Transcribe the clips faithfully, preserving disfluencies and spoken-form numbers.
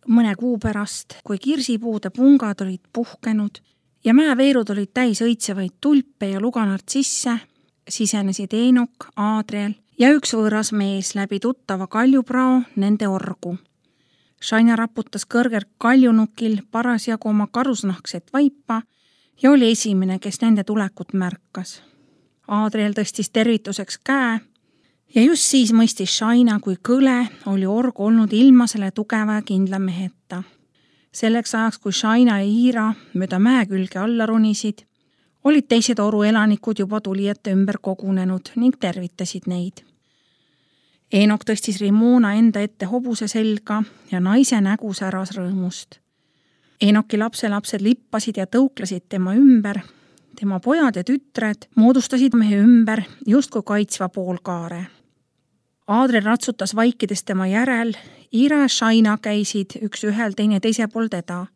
mõne kuu pärast, kui kirsipuude pungad olid puhkenud ja mäeveerud olid täis õitsevaid tulpe ja luganartsisse, sisenesid Eenok, Aadriel ja üks võõras mees läbi tuttava kaljuprao nende orgu. Shaina raputas kõrgelt kaljunukil parasjagu oma karusnahkset vaipa ja oli esimene, kes nende tulekut märkas. Aadriel tõstis tervituseks käe ja just siis mõistis Shaina, kui kõle oli org olnud ilma selle tugeva ja kindla meheta. Selleks ajaks, kui Shaina ja Iira mööda mäe külge alla ronisid, olid teised oru elanikud juba tulijate ümber kogunenud ning tervitasid neid. Eenok tõstis Rimona enda ette hobuse selga ja naise nägu säras rõõmust. Eenoki lapselapsed lippasid ja tõuklasid tema ümber. Tema pojad ja tütred moodustasid mehe ümber justkui kaitsva poolkaare. Aadriel ratsutas vaikides tema järel, Iira ja Shaina käisid üks ühel teine teise pool teda.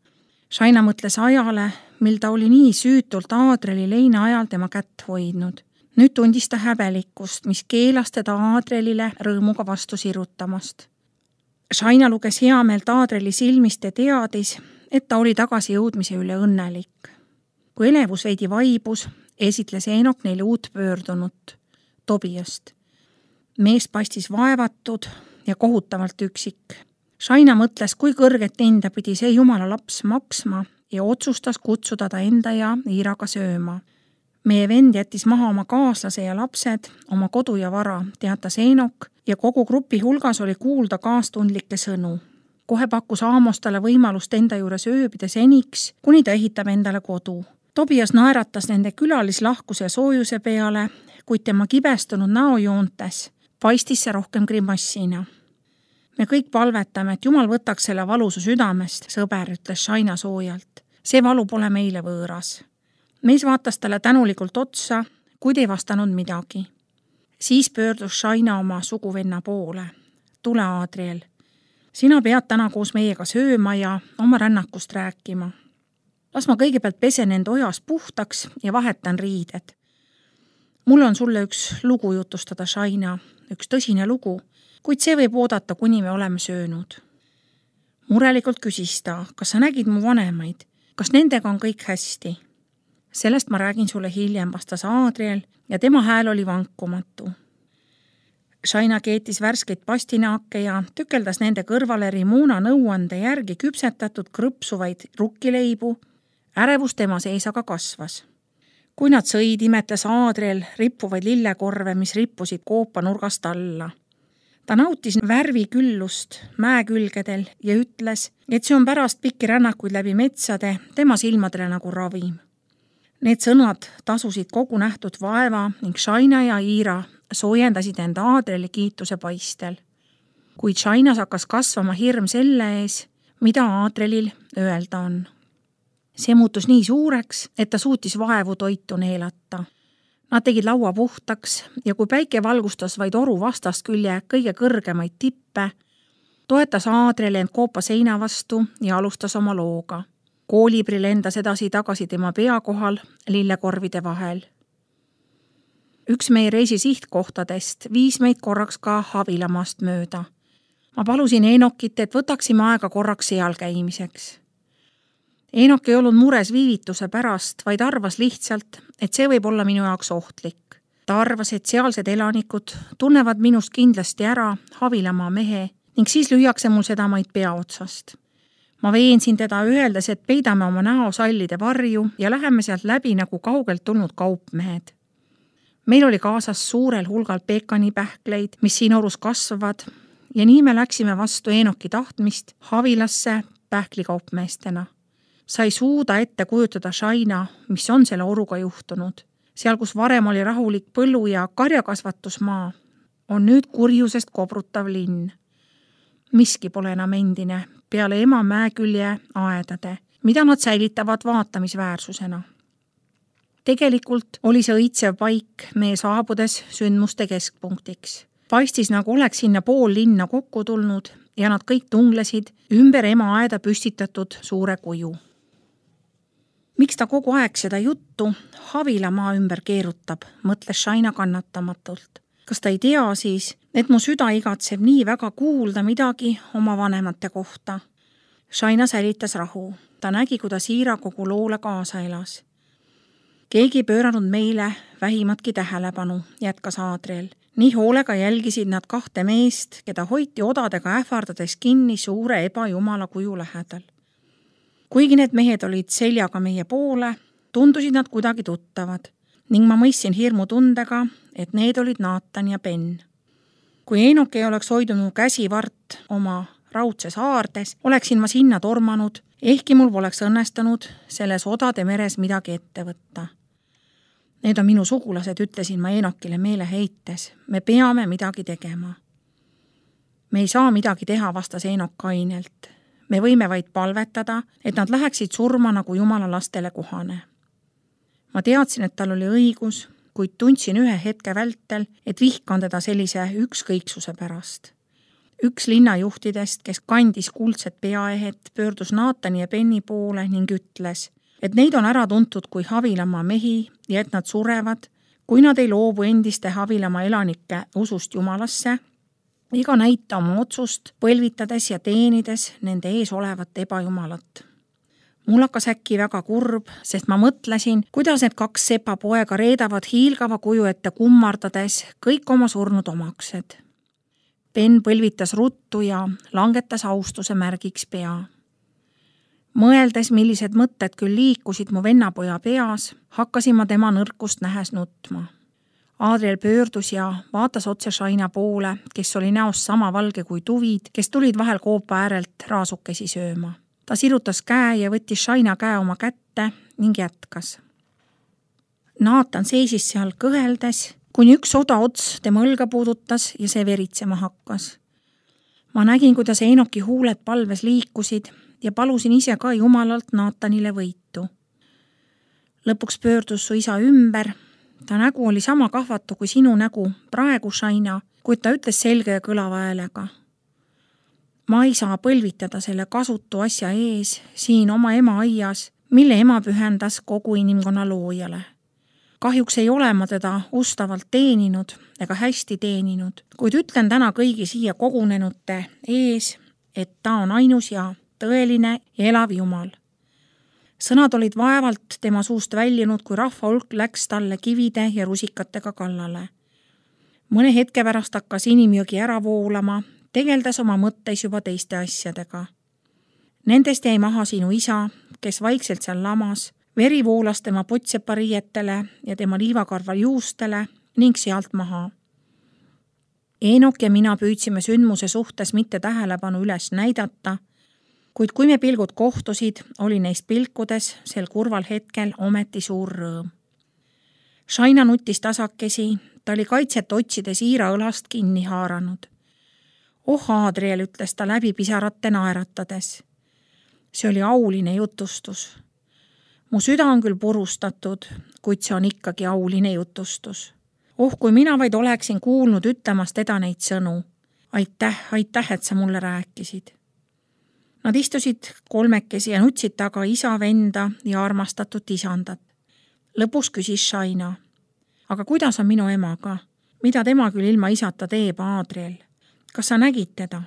Shaina mõtles ajale, mil ta oli nii süütult Aadrieli leina ajal tema kätt hoidnud. Nüüd tundis ta häbelikkust, mis keelas teda Aadrielile rõõmuga vastu sirutamast. Shaina luges hea meelt Aadrieli silmist ja teadis, et ta oli tagasi jõudmise üle õnnelik. Kui elevus veidi vaibus, esitles Eenok neile uut pöördunut, Tobiast. Mees paistis vaevatud ja kohutavalt üksik. Shaina mõtles, kui kõrget hinda pidi see jumala laps maksma ja otsustas kutsuda ta enda ja Iiraga sööma. Meie vend jättis maha oma kaaslase ja lapsed, oma kodu ja vara, teatas Eenok ja kogu grupi hulgas oli kuulda kaastundlikke sõnu. Kohe pakkus Aamos talle võimalust enda juures ööbida seniks, kuni ta ehitab endale kodu. Tobias naeratas nende külalislahkuse soojuse peale, kuid tema kibestunud näojoontes paistis see rohkem grimassina. Me kõik palvetame, et Jumal võtaks selle valusu südamest, sõber, ütles Shaina soojalt. See valu pole meile võõras. Mees vaatas talle tänulikult otsa, kuid ei vastanud midagi. Siis pöördus Shaina oma suguvenna poole. Tule, Aadriel. Sina pead täna koos meiega sööma ja oma rännakust rääkima. Las ma kõigepealt pesen end ojas puhtaks ja vahetan riided. Mul on sulle üks lugu jutustada, Shaina, üks tõsine lugu, kuid see võib oodata, kuni me oleme söönud. Murelikult küsis ta, kas sa nägid mu vanemaid, kas nendega on kõik hästi? Sellest ma räägin sulle hiljem, vastas Aadriel ja tema hääl oli vankumatu. Shaina keetis värskeid pastinaake ja tükeldas nende kõrvale Rimona nõuande järgi küpsetatud krõpsuvaid rukkileibu. Ärevus tema sees aga kasvas. Kui nad sõid, imetles Aadriel rippuvaid lillekorve, mis rippusid koopa nurgast alla. Ta nautis värviküllust mäekülgedel ja ütles, et see on pärast pikki rännakuid läbi metsade tema silmadele nagu ravim. Need sõnad tasusid kogu nähtud vaeva ning Shaina ja Iira soojendasid enda Aadrieli kiituse paistel. Kuid Shainas hakkas kasvama hirm selle ees, mida Aadrielil öelda on. See muutus nii suureks, et ta suutis vaevu toitu neelata. Nad tegid laua puhtaks ja kui päike valgustas vaid oru vastast külje kõige kõrgemaid tippe, toetas Aadriel end koopa seina vastu ja alustas oma looga. Koolibri lendas edasi tagasi tema pea kohal lillekorvide vahel. Üks meie reisi sihtkohtadest viis meid korraks ka Havilamaast mööda. Ma palusin Eenokit, et võtaksime aega korraks seal käimiseks. Eenok ei olnud mures viivituse pärast, vaid arvas lihtsalt, et see võib olla minu jaoks ohtlik. Ta arvas, et sealsed elanikud tunnevad minust kindlasti ära Havilamaa mehe ning siis lüüakse mul seda maid pea otsast. Ma veensin teda öeldes, et peidame oma näo sallide varju ja läheme sealt läbi nagu kaugelt tulnud kaupmehed. Meil oli kaasas suurel hulgal peekanipähkleid, mis siin orus kasvavad ja nii me läksime vastu Eenoki tahtmist Havilasse pähklikaupmeestena. Sa ei suuda ette kujutada, Shaina, mis on selle oruga juhtunud. Seal, kus varem oli rahulik põllu- ja karjakasvatusmaa, on nüüd kurjusest kobrutav linn. Miski pole enam endine, peale ema mäekülje aedade, mida nad säilitavad vaatamisväärsusena. Tegelikult oli see õitsev paik meie saabudes sündmuste keskpunktiks. Paistis, nagu oleks sinna pool linna kokku tulnud ja nad kõik tunglesid ümber ema aeda püstitatud suure kuju. Miks ta kogu aeg seda juttu Havilamaa ümber keerutab, mõtles Shaina kannatamatult. Kas ta ei tea siis, et mu süda igatseb nii väga kuulda midagi oma vanemate kohta? Shaina säilitas rahu. Ta nägi, kuidas Iira kogu loole kaasa elas. Keegi ei pööranud meile vähimatki tähelepanu, jätkas Adriel. Nii hoolega jälgisid nad kahte meest, keda hoiti odadega ähvardades kinni suure ebajumala kuju lähedal. Kuigi need mehed olid seljaga meie poole, tundusid nad kuidagi tuttavad ning ma mõistsin hirmu tundega, et need olid Nathan ja Ben. Kui Eenok ei oleks hoidunud käsivart oma raudses haardes, oleksin ma sinna tormanud, ehkki mul poleks õnnestunud selles odade meres midagi ette võtta. Need on minu sugulased, ütlesin ma Eenokile meele heites. Me peame midagi tegema. Me ei saa midagi teha, vastas Eenok kainelt. Me võime vaid palvetada, et nad läheksid surma nagu Jumala lastele kohane. Ma teadsin, et tal oli õigus, kuid tundsin ühe hetke vältel, et vihkan teda sellise ükskõiksuse pärast. Üks linnajuhtidest, kes kandis kuldset peaehet, pöördus Nathani ja Benni poole ning ütles, et neid on ära tuntud kui Havilamaa mehi ja et nad surevad, kui nad ei loobu endiste Havilamaa elanike usust Jumalasse, ega näita oma otsust põlvitades ja teenides nende ees olevat ebajumalat. Mul hakkas äkki väga kurb, sest ma mõtlesin, kuidas need kaks sepa poega reedavad hiilgava kuju ette kummardades kõik oma surnud omaksed. Ben põlvitas ruttu ja langetas austuse märgiks pea. Mõeldes, millised mõtted küll liikusid mu vennapoja peas, hakkasin ma tema nõrkust nähes nutma. Adriel pöördus ja vaatas otse Shaina poole, kes oli näost sama valge kui tuvid, kes tulid vahel koopa äärelt raasukesi sööma. Ta sirutas käe ja võttis Shaina käe oma kätte ning jätkas. Nathan seisis seal kõheldes, kuni üks oda ots tema õlga puudutas ja see veritsema hakkas. Ma nägin, kuidas Eenoki huuled palves liikusid ja palusin ise ka Jumalalt Nathanile võitu. Lõpuks pöördus su isa ümber. Ta nägu oli sama kahvatu kui sinu nägu praegu, Shaina, kuid ta ütles selge ja kõlava häälega. Ma ei saa põlvitada selle kasutu asja ees siin oma ema aias, mille ema pühendas kogu inimkonna loojale. Kahjuks ei ole ma teda ustavalt teeninud ega hästi teeninud, kuid ütlen täna kõigi siia kogunenute ees, et ta on ainus ja tõeline ja elav Jumal. Sõnad olid vaevalt tema suust väljunud, kui rahva hulk läks talle kivide ja rusikatega kallale. Mõne hetke pärast hakkas inimjõgi ära voolama, tegeldes oma mõtteis juba teiste asjadega. Nendest jäi maha sinu isa, kes vaikselt seal lamas, veri voolas tema potsepariietele ja tema liivakarva juustele ning sealt maha. Eenok ja mina püüdsime sündmuse suhtes mitte tähelepanu üles näidata, kuid kui me pilgud kohtusid, oli neist pilkudes sel kurval hetkel ometi suur rõõm. Shaina nutis tasakesi, ta oli kaitset otsides Iira õlast kinni haaranud. Oh, Adriel, ütles ta läbi pisarate naeratades. See oli auline jutustus. Mu süda on küll purustatud, kuid see on ikkagi auline jutustus. Oh, kui mina vaid oleksin kuulnud ütlemas teda neid sõnu. Aitäh, aitäh, et sa mulle rääkisid. Nad istusid kolmekesi ja nutsid taga isa, venda ja armastatud isandat. Lõpus küsis Shaina. Aga kuidas on minu emaga? Mida tema küll ilma isata teeb, Adriel? Kas sa nägid teda?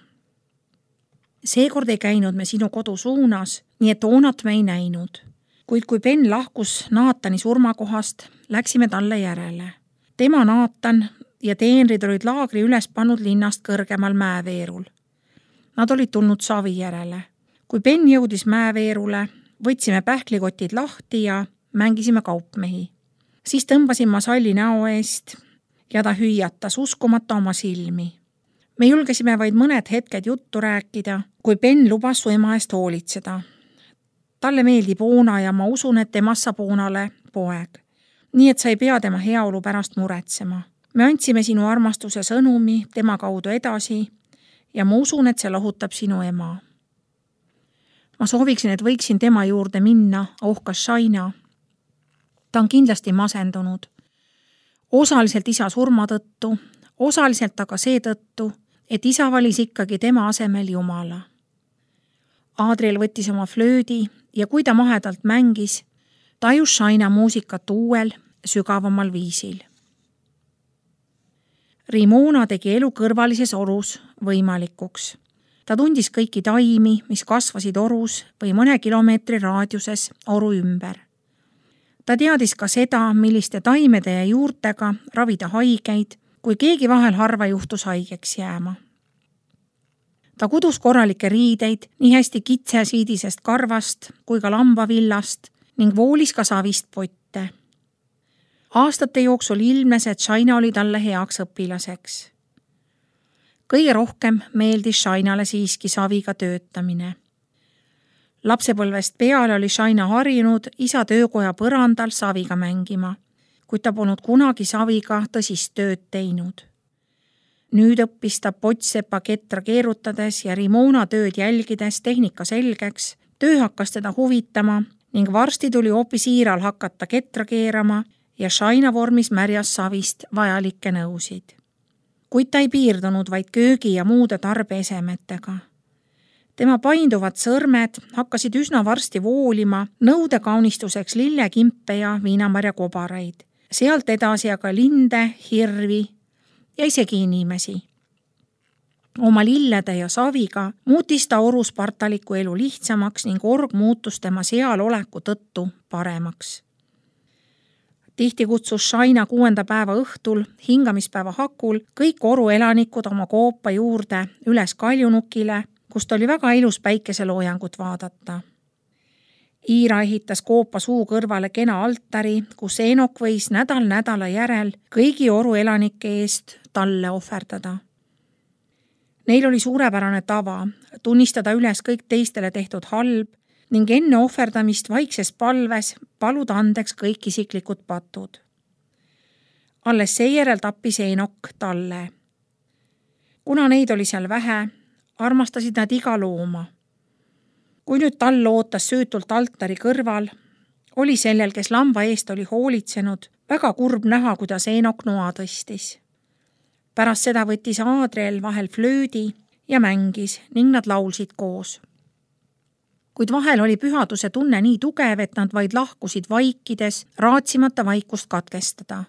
Seekord ei käinud me sinu kodu suunas, nii et Oonat me ei näinud. Kuid kui Ben lahkus Nathani surmakohast, läksime talle järele. Tema Nathan ja teenrid olid laagri üles pannud linnast kõrgemal mäeveerul. Nad olid tulnud savi järele. Kui Ben jõudis mäeveerule, võtsime pähklikotid lahti ja mängisime kaupmehi. Siis tõmbasin ma salli näo eest ja ta hüüatas uskumata oma silmi. Me julgesime vaid mõned hetked juttu rääkida, kui Ben lubas su ema eest hoolitseda. Talle meeldib Oona ja ma usun, et temast saab Oonale poeg. Nii et sa ei pea tema heaolu pärast muretsema. Me andsime sinu armastuse sõnumi tema kaudu edasi ja ma usun, et see lahutab sinu ema. Ma sooviksin, et võiksin tema juurde minna, ohkas Shaina. Ta on kindlasti masendunud. Osaliselt isa surma tõttu, osaliselt aga seetõttu, et isa valis ikkagi tema asemel Jumala. Adriel võttis oma flöödi ja kui ta mahedalt mängis, tajus Shaina muusikat uuel, sügavamal viisil. Rimona tegi elu kõrvalises orus võimalikuks. ta tundis kõiki taimi, mis kasvasid orus või mõne kilomeetri raadiuses oru ümber. Ta teadis ka seda, milliste taimede ja juurtega ravida haigeid, kui keegi vahel harva juhtus haigeks jääma. Ta kudus korralikke riideid nii hästi kitsesiidisest karvast kui ka lambavillast ning voolis ka savist potte. Aastate jooksul ilmnes, et Shaina oli talle heaks õpilaseks. Kõige rohkem meeldis Shainale siiski saviga töötamine. Lapsepõlvest peale oli Shaina harjunud isa töökoja põrandal saviga mängima, kuid ta polnud kunagi saviga tõsist tööd teinud. Nüüd õppis ta pottsepa ketra keerutades ja Rimona tööd jälgides tehnika selgeks, töö hakkas teda huvitama ning varsti tuli hoopis Iiral hakata ketra keerama ja Shaina vormis märjas savist vajalikke nõusid. Kuid ta ei piirdunud vaid köögi ja muude tarbeesemetega. Tema painduvad sõrmed hakkasid üsna varsti voolima nõude kaunistuseks lillekimpe ja viinamarja kobaraid, sealt edasi aga linde, hirvi ja isegi inimesi. Oma lillede ja saviga muutis ta oru spartaliku elu lihtsamaks ning org muutus tema seal oleku tõttu paremaks. Tihti kutsus Shaina kuuenda päeva õhtul, hingamispäeva hakul, kõik oru elanikud oma koopa juurde üles kaljunukile, kust oli väga ilus päikeseloojangut vaadata. Iira ehitas koopa suu kõrvale kena altari, kus Eenok võis nädal nädala järel kõigi oru elanike eest talle ohverdada. Neil oli suurepärane tava tunnistada üles kõik teistele tehtud halb ning enne ohverdamist vaikses palves paluda andeks kõik isiklikud patud. Alles seejärel tappis Eenok talle. Kuna neid oli seal vähe, armastasid nad iga looma. Kui nüüd tall ootas süütult altari kõrval, oli sellel, kes lamba eest oli hoolitsenud, väga kurb näha, kuidas Eenok noa tõstis. Pärast seda võttis Aadriel vahel flöödi ja mängis ning nad laulsid koos. Kuid vahel oli pühaduse tunne nii tugev, et nad vaid lahkusid vaikides, raatsimata vaikust katkestada.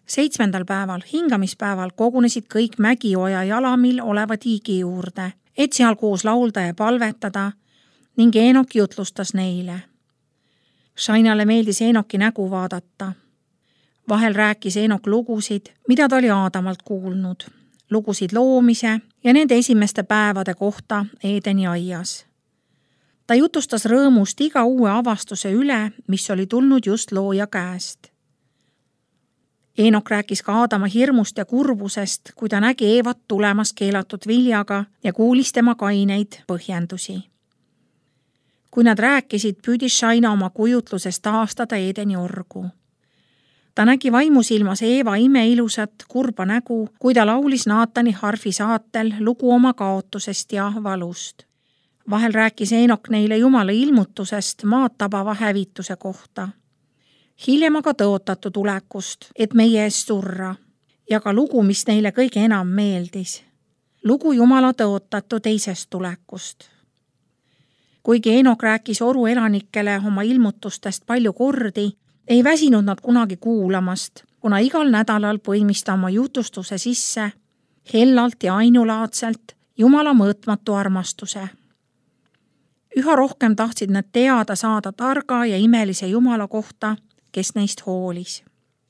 Seitsmendal päeval, hingamispäeval, kogunesid kõik Mägioja jalamil oleva tiigi juurde, et seal koos laulda ja palvetada ning Eenok jutlustas neile. Shainale meeldis Eenoki nägu vaadata. Vahel rääkis Eenok lugusid, mida ta oli Aadamalt kuulnud, lugusid loomise ja nende esimeste päevade kohta Eedeni aias. Ta jutustas rõõmust iga uue avastuse üle, mis oli tulnud just looja käest. Eenok rääkis ka Aadama hirmust ja kurbusest, kui ta nägi Eevat tulemas keelatud viljaga ja kuulis tema kaineid põhjendusi. Kui nad rääkisid, püüdis Shaina oma kujutluses taastada Eedeni orgu. Ta nägi vaimusilmas Eeva imeilusat kurba nägu, kui ta laulis Naatani harfi saatel lugu oma kaotusest ja valust. Vahel rääkis Eenok neile Jumala ilmutusest maad tabava hävituse kohta. Hiljem aga tõotatu tulekust, et meie eest surra, ja ka lugu, mis neile kõige enam meeldis. Lugu Jumala tõotatu teisest tulekust. Kuigi Eenok rääkis oru elanikele oma ilmutustest palju kordi, ei väsinud nad kunagi kuulamast, kuna igal nädalal põimis ta oma jutustuse sisse hellalt ja ainulaadselt Jumala mõõtmatu armastuse. Üha rohkem tahtsid nad teada saada targa ja imelise Jumala kohta, kes neist hoolis.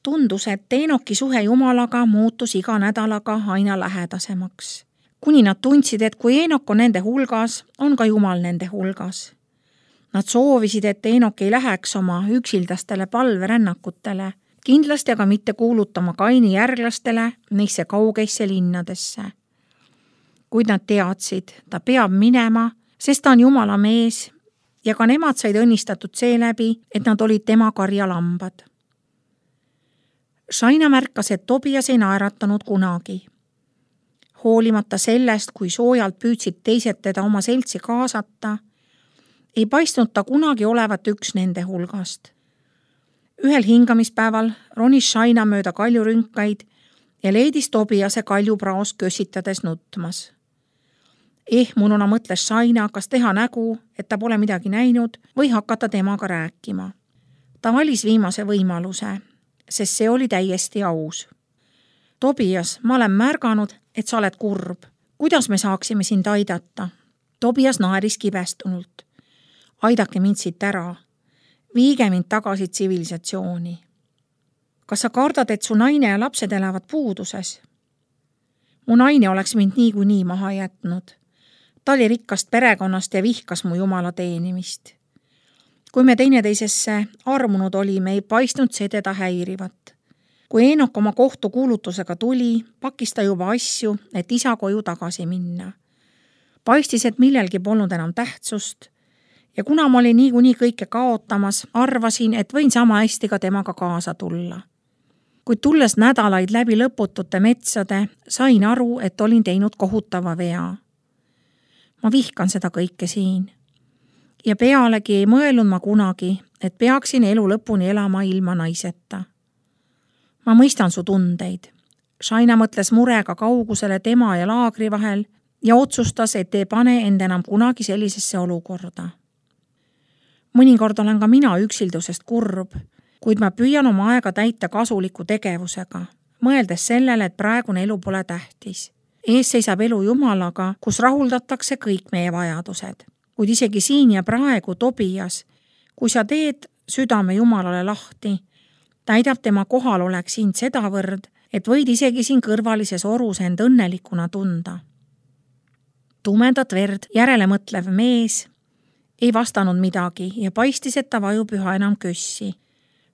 Tundus, et Eenoki suhe Jumalaga muutus iga nädalaga aina lähedasemaks. Kuni nad tundsid, et kui Eenok on nende hulgas, on ka Jumal nende hulgas. Nad soovisid, et Eenok ei läheks oma üksildastele palverännakutele, kindlasti aga mitte kuulutama Kaini järglastele neisse kaugeisse linnadesse. Kuid nad teadsid, ta peab minema, sest ta on Jumala mees ja ka nemad said õnnistatud seeläbi, et nad olid tema karjalambad. Shaina märkas, et Tobias ei naeratanud kunagi. Hoolimata sellest, kui soojalt püüdsid teised teda oma seltsi kaasata, ei paistnud ta kunagi olevat üks nende hulgast. Ühel hingamispäeval ronis Shaina mööda kaljurünkaid ja leidis Tobiase kaljupraos kössitades nutmas. Ehmununa mõtles Shaina, kas teha nägu, et ta pole midagi näinud või hakata temaga rääkima. Ta valis viimase võimaluse, sest see oli täiesti aus. Tobias, ma olen märganud, et sa oled kurb. Kuidas me saaksime sind aidata? Tobias naeris kibestunult. Aidake mind siit ära. Viige mind tagasi tsivilisatsiooni. Kas sa kardad, et su naine ja lapsed elavad puuduses? Mu naine oleks mind niikuinii maha jätnud. Ta oli rikkast perekonnast ja vihkas mu jumala teenimist. Kui me teineteisesse armunud olime, ei paistnud see teda häirivat. Kui Eenok oma kohtukuulutusega tuli, pakkis ta juba asju, et isa koju tagasi minna. Paistis, et millelgi polnud enam tähtsust ja kuna ma olin niikuinii kõike kaotamas, arvasin, et võin sama hästi ka temaga kaasa tulla. Kuid tulles nädalaid läbi lõputute metsade, sain aru, et olin teinud kohutava vea. Ma vihkan seda kõike siin. Ja pealegi ei mõelnud ma kunagi, et peaksin elu lõpuni elama ilma naiseta. Ma mõistan su tundeid. Shaina mõtles murega kaugusele tema ja laagri vahel ja otsustas, et ei pane end enam kunagi sellisesse olukorda. Mõnikord olen ka mina üksildusest kurb, kuid ma püüan oma aega täita kasuliku tegevusega, mõeldes sellele, et praegune elu pole tähtis. Ees seisab elu Jumalaga, kus rahuldatakse kõik meie vajadused. Kuid isegi siin ja praegu Tobias, kui sa teed südame Jumalale lahti, täidab tema kohalolek sind sedavõrd, et võid isegi siin kõrvalises orus end õnnelikuna tunda. Tumedat verd järele mõtlev mees ei vastanud midagi ja paistis, et ta vajub üha enam kössi.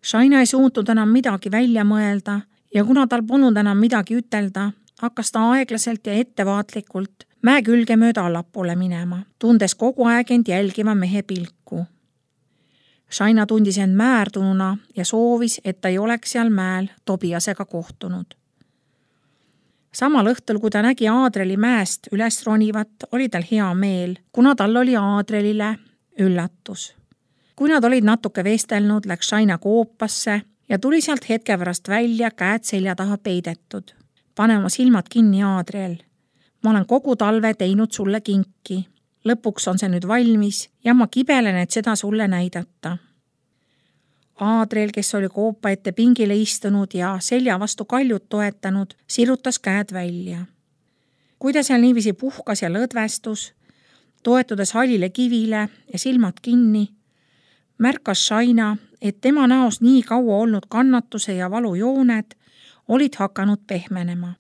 Shaina ei suutnud enam midagi välja mõelda ja kuna tal polnud enam midagi ütelda, hakkas ta aeglaselt ja ettevaatlikult mäe külge mööda allapoole minema, tundes kogu aeg end jälgiva mehe pilku. Shaina tundis end määrdununa ja soovis, et ta ei oleks seal mäel Tobiasega kohtunud. Samal õhtul, kui ta nägi Aadreli mäest üles ronivat, oli tal hea meel, kuna tal oli Aadrelile üllatus. Kui nad olid natuke vestelnud, läks Shaina koopasse ja tuli sealt hetke pärast välja käed selja taha peidetud. Pane oma silmad kinni, Aadrel. Ma olen kogu talve teinud sulle kinki. Lõpuks on see nüüd valmis ja ma kibelen, et seda sulle näidata. Aadrel, kes oli koopa ette pingile istunud ja selja vastu kaljut toetanud, sirutas käed välja. Kui ta seal niivisi puhkas ja lõdvestus, toetudes hallile kivile ja silmad kinni, märkas Shaina, et tema näos nii kaua olnud kannatuse ja valujooned olid hakanud pehmenema.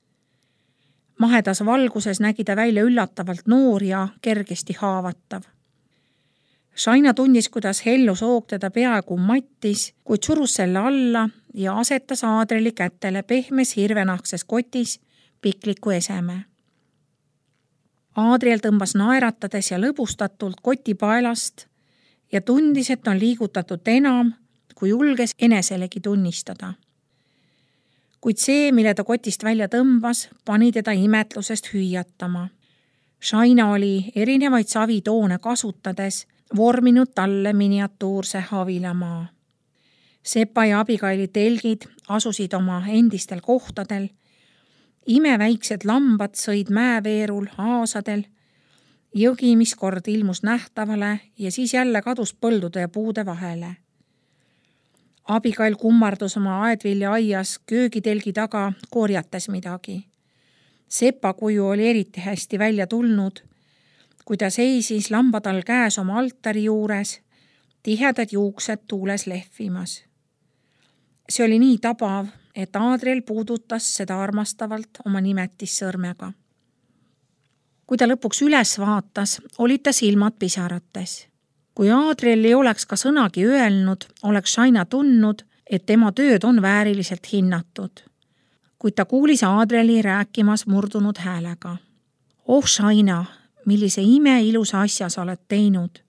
Mahedas valguses nägi ta välja üllatavalt noor ja kergesti haavatav. Shaina tundis, kuidas hellu soog teda peaaegu mattis, kuid surus selle alla ja asetas Aadreli kätele pehmes hirvenahkses kotis pikliku eseme. Aadriel tõmbas naeratades ja lõbustatult koti paelast ja tundis, et on liigutatud enam, kui julges eneselegi tunnistada. Kuid see, mille ta kotist välja tõmbas, pani teda imetlusest hüüatama. Shaina oli erinevaid savitoone kasutades vorminud talle miniatuurse havilamaa. Sepa ja abigaili telgid asusid oma endistel kohtadel, imeväiksed lambad sõid mäeveerul aasadel, jõgi, mis kord ilmus nähtavale ja siis jälle kadus põldude ja puude vahele. Abigail kummardus oma aedvilja aias köögitelgi taga korjates midagi. Sepa kuju oli eriti hästi välja tulnud, kui ta seisis lambatal käes oma altari juures, tihedad juuksed tuules lehvimas. See oli nii tabav, et Aadrel puudutas seda armastavalt oma nimetissõrmega. Kui ta lõpuks üles vaatas, olid ta silmad pisarates. Kui Aadrel ei oleks ka sõnagi öelnud, oleks Shaina tundnud, et tema tööd on vääriliselt hinnatud. Kuid ta kuulis Aadreli rääkimas murdunud häälega. Oh Shaina, millise ime ilusa asja sa oled teinud.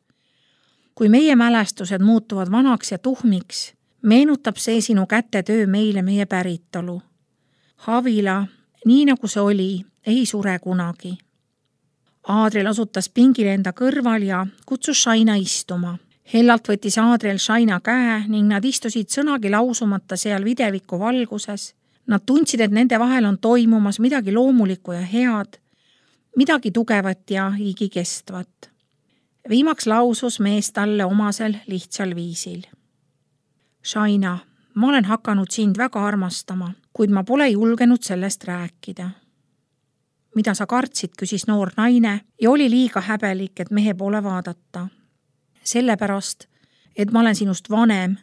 Kui meie mälestused muutuvad vanaks ja tuhmiks, meenutab see sinu kätetöö meile meie päritolu. Havila, nii nagu see oli, ei sure kunagi. Aadrel osutas pingile enda kõrval ja kutsus Shaina istuma. Hellalt võttis Aadrel Shaina käe ning nad istusid sõnagi lausumata seal videviku valguses. Nad tundsid, et nende vahel on toimumas midagi loomulikku ja head, midagi tugevat ja igikestvat. Viimaks lausus mees talle omasel lihtsal viisil. Shaina, ma olen hakanud sind väga armastama, kuid ma pole julgenud sellest rääkida. mida sa kartsid, küsis noor naine ja oli liiga häbelik, et mehe poole vaadata. Sellepärast, et ma olen sinust vanem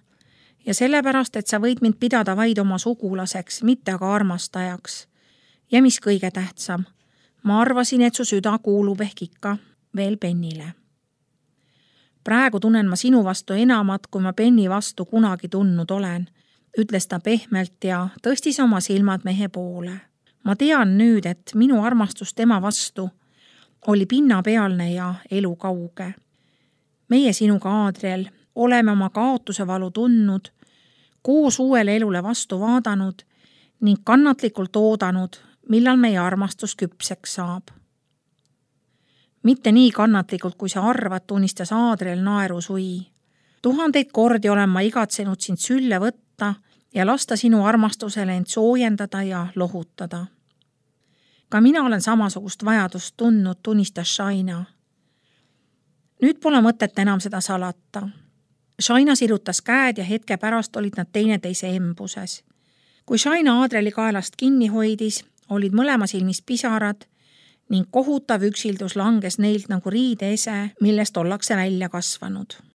ja sellepärast, et sa võid mind pidada vaid oma sugulaseks, mitte aga armastajaks. Ja mis kõige tähtsam, ma arvasin, et su süda kuulub ehk ikka veel Bennile. Praegu tunnen ma sinu vastu enamat, kui ma Benni vastu kunagi tundnud olen, ütles ta pehmelt ja tõstis oma silmad mehe poole. Ma tean nüüd, et minu armastus tema vastu oli pinnapealne ja elukauge. Meie sinuga, Adriel, oleme oma kaotuse valu tundnud, koos uuele elule vastu vaadanud ning kannatlikult oodanud, millal meie armastus küpseks saab. Mitte nii kannatlikult, kui sa arvad, tunnistas Adriel naerusui. Tuhandeid kordi olen ma igatsenud sind sülle võtta ja lasta sinu armastusele end soojendada ja lohutada. Ka mina olen samasugust vajadust tundnud, tunnistas Shaina. Nüüd pole mõtet enam seda salata. Shaina sirutas käed ja hetke pärast olid nad teineteise embuses. Kui Shaina Adrieli kaelast kinni hoidis, olid mõlema silmis pisarad ning kohutav üksildus langes neilt nagu riideese, millest ollakse välja kasvanud.